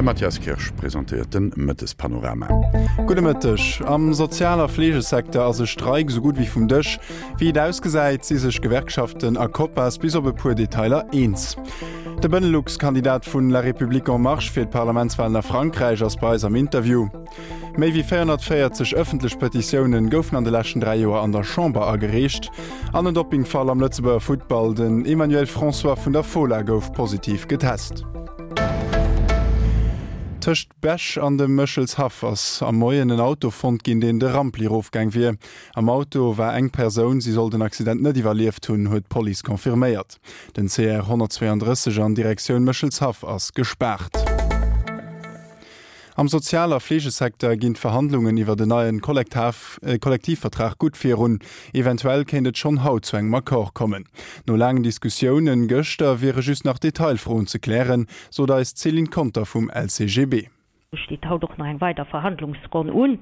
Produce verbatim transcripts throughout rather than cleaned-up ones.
De Mathias Kirsch presentéiert de Mëttespanorama. Gudde Mëtteg. Am Sozial a Fleegesecteur ass e Streik esou gutt wéi vum Dësch. Wéi et ausgesäit, si sech Gewerkschaften a Copas bis op e puer Detailer eens. De Benelux-Kandidat vun La République En Marche fir d'Parlamentswalen a Frankräich ass bei eis am Interview. Méi wéi véierhonnertvéierzeg ëffentlech Petitioune goufen an de leschten dräi Joer an der Chamber agereecht. An en Doppingfall am Lëtzebuerger Futtball, Den Emmanuel François vun der Fola gouf positiv getest. Tëscht Bech an dem Méchelshaff ass am Moien en Auto fonnt ginn, deen de Rampli erofgaang wier. Am Auto war eng Persoun, si soll den Accident net iwwerlieft hunn, huet d'Police confirméiert. Den C R honnertzweeandrësseg an Direktioun Méchelshaff ass gespaart. Am Sozial a Fleegesecteur ginn d'Verhandlungen iwwer en neien Kollektivvertrag gutt virun. Eventuell kéint et schonn haut zu engem Accord kommen. No laangen Diskussiounen gëschter wiere just nach Detailfroen ze klären, sot eis d'Céline Conter vum L C G B. Steet haut och nach eng weider Verhandlungsronn un,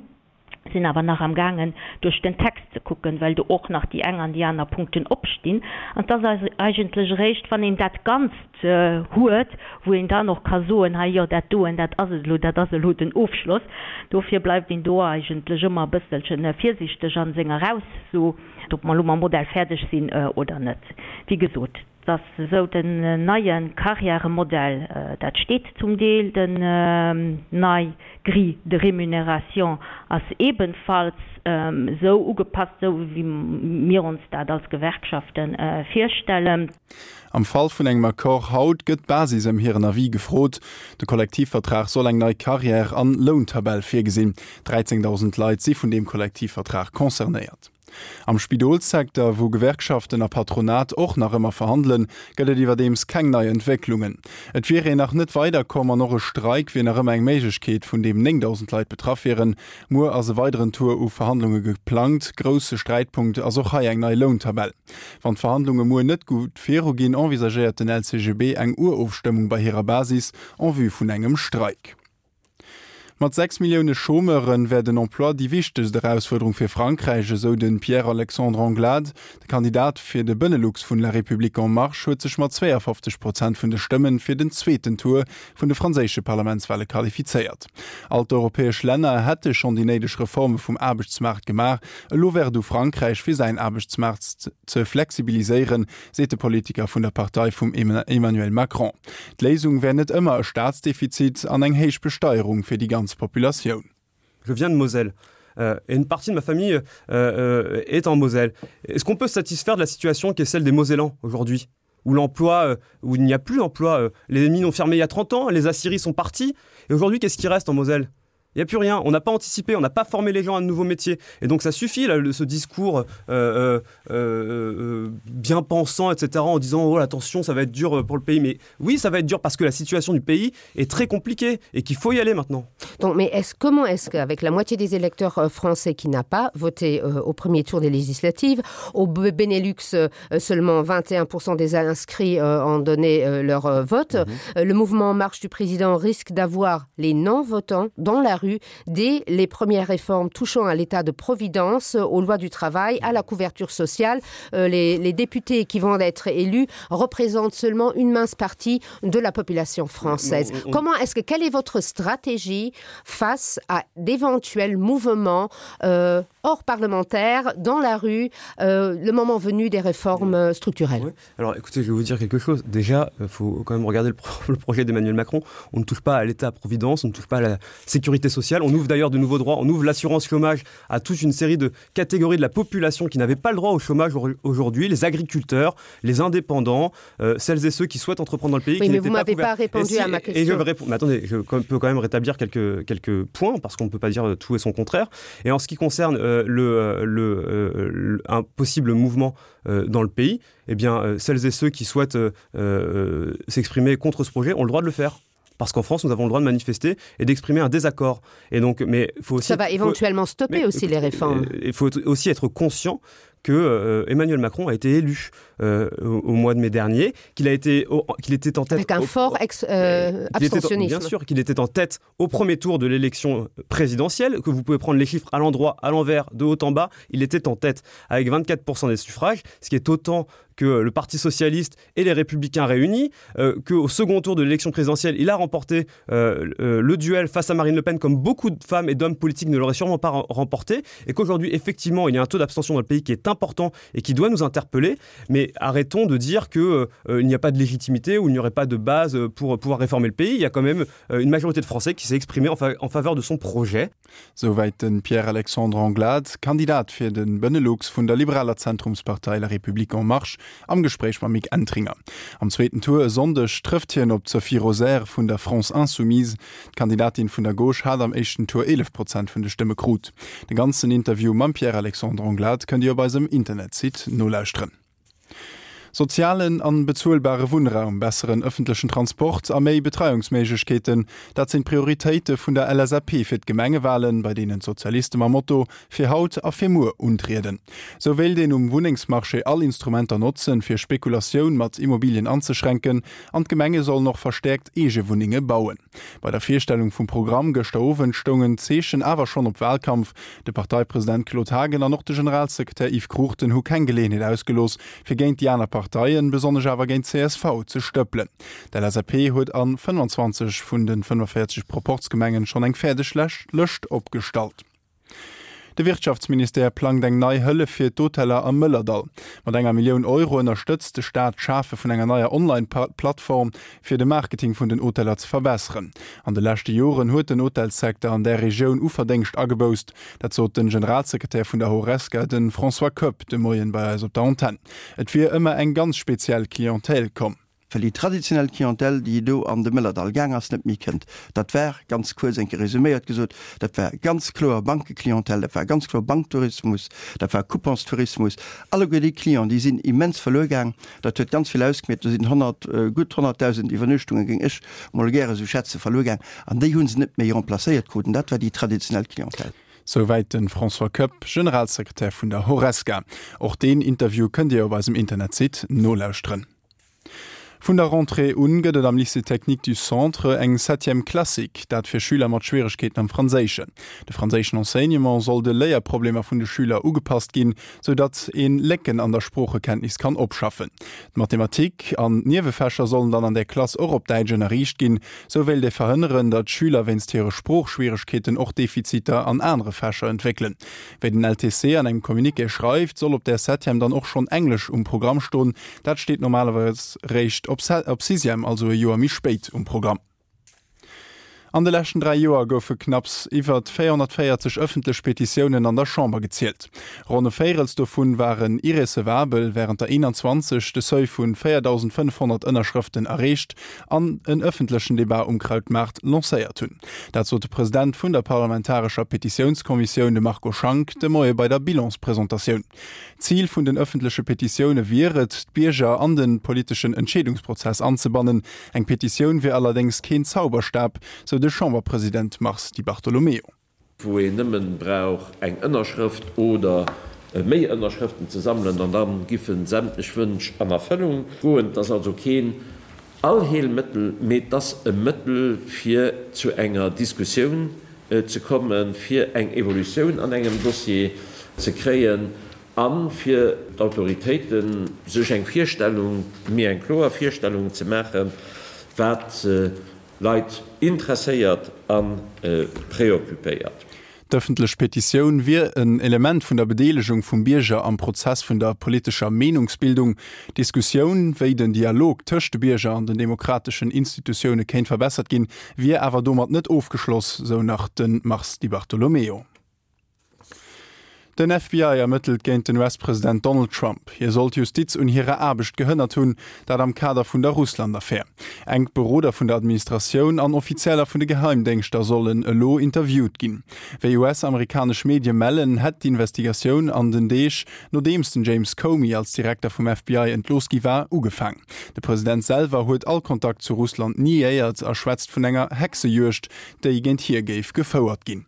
sinn awer nach am gaangen duerch den Text ze kucken, well do och nach déi eng an déi aner Punkten opstinn. An et ass eigentlech eréischt, wann een dat Ganzt huet, wou een dann och ka soen, hei jo, dat doen, dat ass et elo, dat ass elo den Ofschloss. Dofir bleift een do eigentlech ëmmer e bësselche virsichteg a senger Ausso, ob mer elo mam Modell fäerdeg sinn oder net. Wéi gesot, et ass esou, den neie Karriäremodell, dat steet zum Deel, den nei Grille de rémunération ass ebenfalls esou ugepasst, esou wéi mir ons dat als Gewerkschafte virstellen. Am Fall vun engem Accord haut gëtt d'Basis ëm hiren Avis gefrot. De Kollektivvertrag soll eng nei Karriär an Lountabell virgesinn. dräizéngdausend Leit si vun deem Kollektivvertrag concernéiert. Am Spidolssecteur, wou Gewerkschaften a Patronat och nach ëmmer verhandelen, gëtt et iwwerdeems keng nei Entwécklungen. Et wier een nach net weiderkomm an och e Streik wier nach ëmmer eng Méiglechkeet, vun deem néngdausend Leit betraff wieren. Muer ass e weideren Tour u Verhandlunge geplangt. Grousse Sträitpunkt ass och hei eng nei Lountabell. Wann d'Verhandlunge muer net gutt viruginn, envisagéiert den L C G B eng Urofstëmmung bei hirer Basis en vue vun engem Streik. Mat sechs Millioune Chômeure wär den Emploi déi wichtegst Erausfuerderung fir Frankräich, esou de Pierre-Alexandre Anglade. De Kandidat fir de Benelux vun La République En Marche huet sech mat zweeafofzeg Prozent vun de Stëmme fir den zweeten Tour vun de franséische Parlamentswale qualifizéiert. All d'europäesch Länner hätte schonn déi néideg Reforme vum Aarbechtsmaart gemaach, elo wär et u Frankräich fir säin Aarbechtsmaart ze flexibiliséieren, seet de Politiker vun der Partei vum Emmanuel Macron. D'Léisung wär net ëmmer e Staatsdefizit an eng héich Besteierung fir déi ganz Populatioun. Je viens de Moselle euh, et une partie de ma famille euh, euh, est en Moselle. Est-ce qu'on peut se satisfaire de la situation qui est celle des Mosellans aujourd'hui, où l'emploi, euh, où il n'y a plus d'emploi, euh, les mines ont fermé il y a trente ans, les aciéries sont parties, et aujourd'hui, qu'est-ce qui reste en Moselle? Il n'y a plus rien, on n'a pas anticipé, on n'a pas formé les gens à de nouveaux métiers. Et donc ça suffit, là, le, ce discours euh, euh, euh, bien pensant, et cetera, en disant oh, attention, ça va être dur pour le pays. Mais oui, ça va être dur parce que la situation du pays est très compliquée et qu'il faut y aller maintenant. Donc, mais est-ce, comment est-ce qu'avec la moitié des électeurs euh, français qui n'a pas voté euh, au premier tour des législatives, au Benelux euh, seulement vingt et un pour cent des inscrits euh, ont donné euh, leur euh, vote, mmh. euh, le mouvement En Marche du président risque d'avoir les non-votants dans la rue dès les premières réformes touchant à l'état de providence, aux lois du travail, à la couverture sociale. Euh, les, les députés qui vont être élus représentent seulement une mince partie de la population française. On, on... Comment est-ce que quelle est votre stratégie face à d'éventuels mouvements euh, hors parlementaires dans la rue euh, le moment venu des réformes oui. structurelles? Oui. Alors écoutez, je vais vous dire quelque chose. Déjà, il faut quand même regarder le, pro le projet d'Emmanuel Macron. On ne touche pas à l'état-providence, on ne touche pas à la sécurité sociale. On ouvre d'ailleurs de nouveaux droits, on ouvre l'assurance chômage à toute une série de catégories de la population qui n'avaient pas le droit au chômage aujourd'hui, les agriculteurs, les indépendants, euh, celles et ceux qui souhaitent entreprendre dans le pays. Oui, mais vous m'avez pas, pas répondu si, à ma question. Et je vais répondre. Mais attendez, je peux quand même rétablir quelques, quelques points parce qu'on ne peut pas dire tout et son contraire. Et en ce qui concerne euh, le, le, euh, le, un possible mouvement euh, dans le pays, eh bien, euh, celles et ceux qui souhaitent euh, euh, s'exprimer contre ce projet ont le droit de le faire, parce qu'en France nous avons le droit de manifester et d'exprimer un désaccord. Et donc, mais faut aussi Ça va éventuellement stopper, mais, aussi les réformes. Il faut aussi être conscient que euh, Emmanuel Macron a été élu euh, au, au mois de mai dernier, qu'il a été qu'il était en tête avec un au, fort ex, euh, abstentionnisme. Était, bien sûr qu'il était en tête au premier tour de l'élection présidentielle, que vous pouvez prendre les chiffres à l'endroit, à l'envers, de haut en bas, il était en tête avec vingt-quatre pour cent des suffrages, ce qui est autant que le Parti socialiste et les Républicains réunis, euh, qu'au second tour de l'élection présidentielle, il a remporté euh, euh, le duel face à Marine Le Pen, comme beaucoup de femmes et d'hommes politiques ne l'auraient sûrement pas remporté, et qu'aujourd'hui, effectivement, il y a un taux d'abstention dans le pays qui est important et qui doit nous interpeller. Mais arrêtons de dire qu'il euh, n'y a pas de légitimité ou il n'y aurait pas de base pour pouvoir réformer le pays. Il y a quand même euh, une majorité de Français qui s'est exprimée en, fa en faveur de son projet. Souwäit de Pierre-Alexandre Anglade, Kandidat fir de Benelux vun der liberaler Zentrumspartei La République en Marche, am Gespréich mam Mick Entringer. Am zweeten Tour e Sonndeg trëfft hien op d'Sophie Rosaire vun der France Insoumise. D'Kandidatin vun der Gauche hat am éischten Tour eelef Prozent vun de Stëmme krut. De ganzen Interview mam Pierre-Alexandre Anglade kënnt Dir op eisem Internetsite nolauschteren. Sozialen an bezuelbare Wunnraum, besseren ëffentlechen Transport a méi Betreiungsméiglechkeeten, dat sinn d'Prioritéite vun der L S A P fir d'Gemengewalen, bei deenen d'Sozialiste mam Motto Fir haut a fir muer untrieden. Sou wéilt een um Wunnengsmarché all Instrumenter notzen, fir Spekulatioun mat Immobilien anzeschränken, an d'Gemenge sollen och verstäerkt eege Wunnenge bauen. Bei der Virstellung vum Programm gëschter Owend stoungen d'Zeechen awer schonn op Walkampf. De Parteipresident Claude Haagen an och de Generalsekretär Yves Cruchten hu keng Geleeënheet ausgelooss, fir géint déi aner Parteien, besonnesch awer géint d'C S V, ze stëppelen. D'L S A P huet an fënnfanzwanzeg vun de fënnefenvéierzeg Proporzgemengen schonn eng fäerdeg Lëscht opgestallt. De Wirtschaftsministère plangt eng nei Hëllef fir d'Hoteller am Mëllerdall. Mat enger Millioun Euro ënnerstëtzt de Staat d'Schafe vun enger neier Online-Plattform, fir de Marketing vun den Hoteller ze verbesseren. An de leschte Joren huet den Hotelsecteur an der Regioun u Verdéngscht agebouss. Dat sot den Generalsekretär vun der Horesca, de François Koepp, de Moien bei eis op der Antenn. Et wier ëmmer eng ganz speziell Clientèle komm. Well déi traditionell Clientèle, déi do an de Mëllerdall gaang ass, net méi kënnt. Dat war, ganz kuerz enke resuméiert gesot, dat war ganz kloer Bankeclientèle, dat war ganz kloer Banktourismus, dat war Couponstourismus. Alleguer déi Clienten, déi sinn immens verluer gaang. Dat huet ganz vill ausgemeet, do sinn honnert, gutt honnertdausend Iwwernuechtungen, géing ech mol gäre sou schätze, verluer gaang. An déi hu se net méi remplacéiert krut. An dat war déi traditionell Clientèle. Souwäit de François Koepp, Generalsekretär vun der Horesca. Och deen Interview kënnt Dir op eisem Internetsite nolauschteren. Vun der Rentrée un gëtt et am Lycée technique du Centre eng Septième classique, dat fir Schüler mat Schwieregkeeten am Franséischen. De franséischen Enseignement soll de Léierproblemer vun de Schüler ugepasst ginn, sou datt ee Lécken an der Sproochekenntnis kann opschaffen. D'Mathematik an d'Niewefächer sollen dann an der Klass och op Däitsch ënnerriicht ginn. Sou wéilt ee verhënneren, datt Schüler wéinst hire Sproochschwieregkeeten och Defiziter an anere Fächer entwéckelen. Wéi den L T C an engem Communiqué schreift, soll op der Septième dann och schonn Englesch um Programm stoen. Dat steet normalerweis réischt op op Sixième, also e Joer méi spéit um Programm. An de leschten dräi Joer goufe knapps iwwer véierhonnertvéierzeg ëffentlech Petitiounen an der Chamber gezielt. Ronn e Véirels dovun waren irrecevabel, wärend der eenanzwanzeg de Seuil vun véierdausendfënnefhonnert Ënnerschrëften erreecht an en ëffentlechen Debat um Krautmaart lancéiert hunn. Dat sot de President vun der parlamentarescher Petitiounskommissioun, de Marco Schank, de Moie bei der Bilanspresentatioun. Zil vun den ëffentleche Petitioune wier et, d'Bierger an de politeschen Entscheedungsprozess anzebannen. Eng Petitioun wier allerdéngs keen Zauberstab, sou de Chamberpresident Mars Di Bartolomeo. Wou een nëmmen brauch eng Ënnerschrëft oder méi Ënnerschrëften ze sammelen an dann giffen sämtlech Wënsch an Erfëllung goen. Dat ass also keen Allheelmëttel, mee et ass e Mëttel fir zu enger Diskussioun ze kommen, fir eng Evolutioun an engem Dossier ze kréien a fir d'Autoritéiten sech eng Virstellung, méi eng kloer Virstellung ze maachen, wat Leit interesséiert a preoccupéiert. D'ëffentlech Petitioun wier en Element vun der Bedeelegung vum Bierger am Prozess vun der politescher Meenungsbildung. D'Diskussioun, wéi den Dialog tëscht de Bierger an den demokrateschen Institutioune kéint verbessert ginn, wier awer domat net ofgeschloss, sou nach de Mars Di Bartolomeo. Den F B I ermëttelt géint den U S-President Donald Trump. Hie soll d'Justiz un hirer Aarbecht gehënnert hunn, dat am Kader vun der Russland-Affär. Enk Beroder vun der Administratioun an Offizieller vun de Geheimdéngschter sollen elo interviewt ginn. Wéi U S-amerikanesch Medie mellen, hätt d'Investigatioun an den Deeg, nodeems den James Comey als Direkter vum F B I entlooss gi war, ugefaangen. De President selwer huet all Kontakt zu Russland niéiert a schwätzt vun enger Hexejuegd, déi géint hie géif gefouert ginn.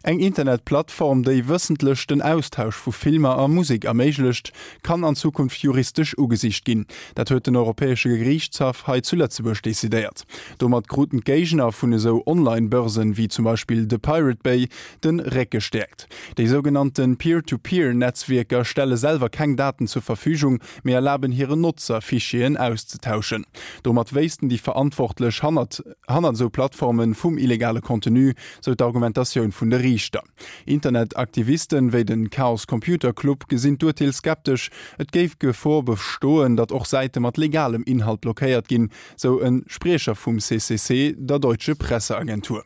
Eng Internetplattform, déi wëssentlech den Austausch vu Filmer a Musek erméiglecht, kann an Zukunft juristesch ugesicht ginn. Dat huet den Europäesche Geriichtshaff hei zu Lëtzebuerg decidéiert. Domat kruten d'Géigner vun esou Online-Börsen, wéi zum Beispill The Pirate Bay, de Réck gestäerkt. Déi sougenannte Peer-to-Peer-Netzwierker stelle selwer keng Daten zur Verfügung, mee erlaben hiren Notzer, Fichieren auszetauschen. Domat wéissten déi Verantwortlech hannert hannert esou Plattforme vum illegale Contenu, sou d'Argumentatioun vun de Riichter. Internetaktivisten wéi de Chaos Computer Club gesinn d'Urteel skeptesch. Et géif d'Gefor bestoen, datt och Säite mat legalem Inhalt blockéiert ginn, sou e Spriecher vum C C C der Deutsche Presse-Agentur.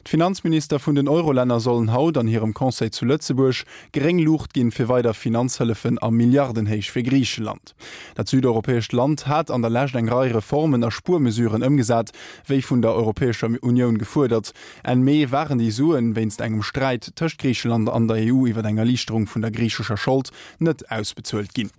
D'Finanzminister vun den Eurolänner sollen haut an hirem Conseil zu Lëtzebuerg gréng Luucht ginn fir weider Finanzhëllefen a Milliardenhéicht fir Griicheland. Dat südeuropäescht Land hat an der Lescht eng Rei Reformen a Spuermesuren ëmgesat, wéi vun der Europäescher Unioun gefuerdert. Enn Mee waren déi Suen wéinst engem Sträit tëscht Griicheland an der E U iwwer eng Erliichterung vun der griichescher Schold net ausbezuelt ginn.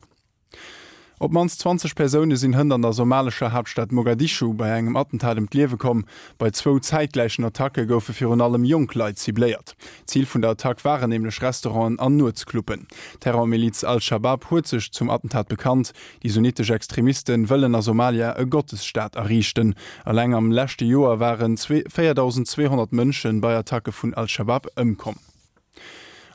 Op d'mannst zwanzeg Persoune sinn hënt an der somalescher Haaptstad Mogadischu bei engem Attentat ëm d'Liewe komm. Bei zwou zäitgläichen Attacke goufe virun allem jonk Leit cibléiert. Zil vun der Attack waren nämlech Restauranten an Nuetsclubben. D'Terrormiliz Al-Schabab huet sech zum Attentat bekannt. Déi sunnitesch Extremiste wëllen a Somalia e Gottesstaat erriichten. Eleng am leschte Joer waren véierdausendzweehonnert Mënsche bei Attacke vun Al-Schabab ëmkomm.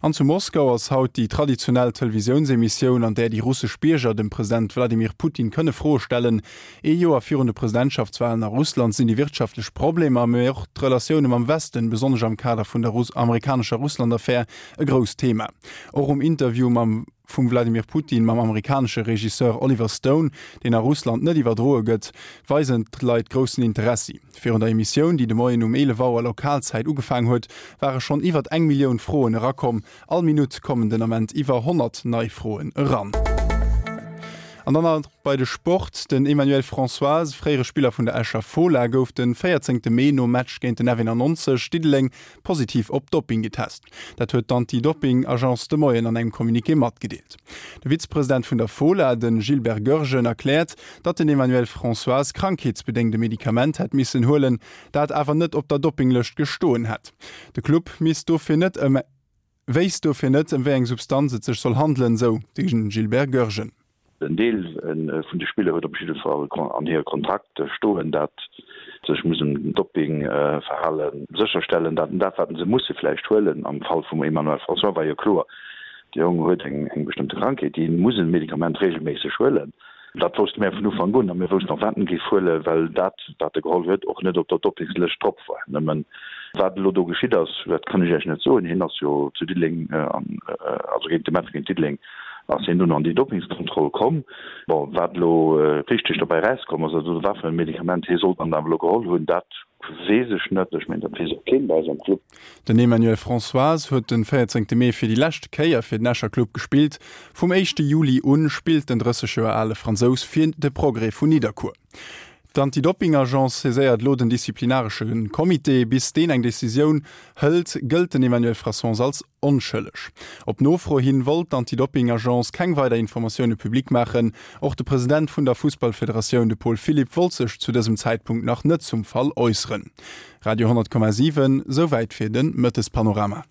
An zu Moskau ass haut déi traditionell Televisiounsemissioun, an där déi russesch Bierger dem President Wladimir Putin kënne Froe stellen. Ee Joer virun de Presidentschaftswalen a Russland sinn déi wirtschaftlech Problemer, mee och d'Relatioune mam Westen, besonnesch am Kader vun der amerikanescher Russland-Affär, e grousst Thema. Och um Interview mam vum Wladimir Putin mam amerikanesche Regisseur Oliver Stone, deen a Russland net iwwerdroe gëtt, weisen d'Leit groussen Interessi. Virun der Emissioun, déi de Moien um eelef Auer Lokalzäit ugefaangen huet, ware schonn iwwert eng Millioun Froen erakomm. All Minutt kommen den Ament iwwer honnert nei Froen eran. An dann nach bei de Sport, Den Emmanuel Françoise, fréiere Spiller vun der Escher Fola, gouf de véierzéngte Mee nom Match géint den F eenannonzeg Diddeleng positiv op Dopping getest. Dat huet d'Anti-Dopping-Agence de Moien an engem Communiqué matgedeelt. De Vizepresident vun der Fola, de Gilbert Goergen, erkläert, datt den Emmanuel Françoise krankheetsbedéngt e Medikament hätt missen huelen, dat awer net op der Doppinglëscht gestoen hätt. De Club misst dofir net ëm wéisst dofir net, ëm wéi eng Substanz et sech soll handelen, sou de Gilbert Goergen. En Deel vun de Spiller huet op jidde Fall an hire Kontrakt stoen, dat sech mussen Doppingverhale sécherstellen, dat dat wat se musse vläicht huelen. Am Fall vum Emmanuel François war jo kloer, de Jong huet eng eng bestëmmte Krankheet, dee muss e Medikament reegelméisseg huelen. Dat wousste mir vun Ufank un a mir woussten och wat en géif huelen, well dat wat e geholl huet och net op der Doppingslëscht drop war. Nëmmen wat elo do geschitt ass, dat kann ech Iech net soen. Hien ass jo zu Diddeleng an also géint de Match géint Diddeleng ass hien dunn an déi Doppingskontroll komm. Bon, wat elo richteg dobäi erauskomm ass, also wat fir e Medikament hie soll dann awer elo geholl hunn, dat weess ech net. Ech mengen, dat weess och keen bei eis am Club. Den Emmanuel Françoise huet den véierzéngte Mee fir déi lescht Kéier fir den Escher Club gespillt. Vum éischte Juli un spillt den drësseg Joer ale Fransous fir de Progrès vun Nidderkuer. D'Anti-Doping-Agence saiséiert elo den disziplinaresche Comité. Bis deen eng Decisioun hëlt, gëllt den Emmanuel Françoise als onschëlleg. Op Nofro hin wollt d'Anti-Doping-Agence keng weider Informatioune public maachen. Och de President vun der Fussballfederatioun, de Paul Philipp, wollt sech zu dësem Zäitpunkt nach net zum Fall äusseren. Radio honnert Komma siwen, Souwäit fir de Mëttespanorama.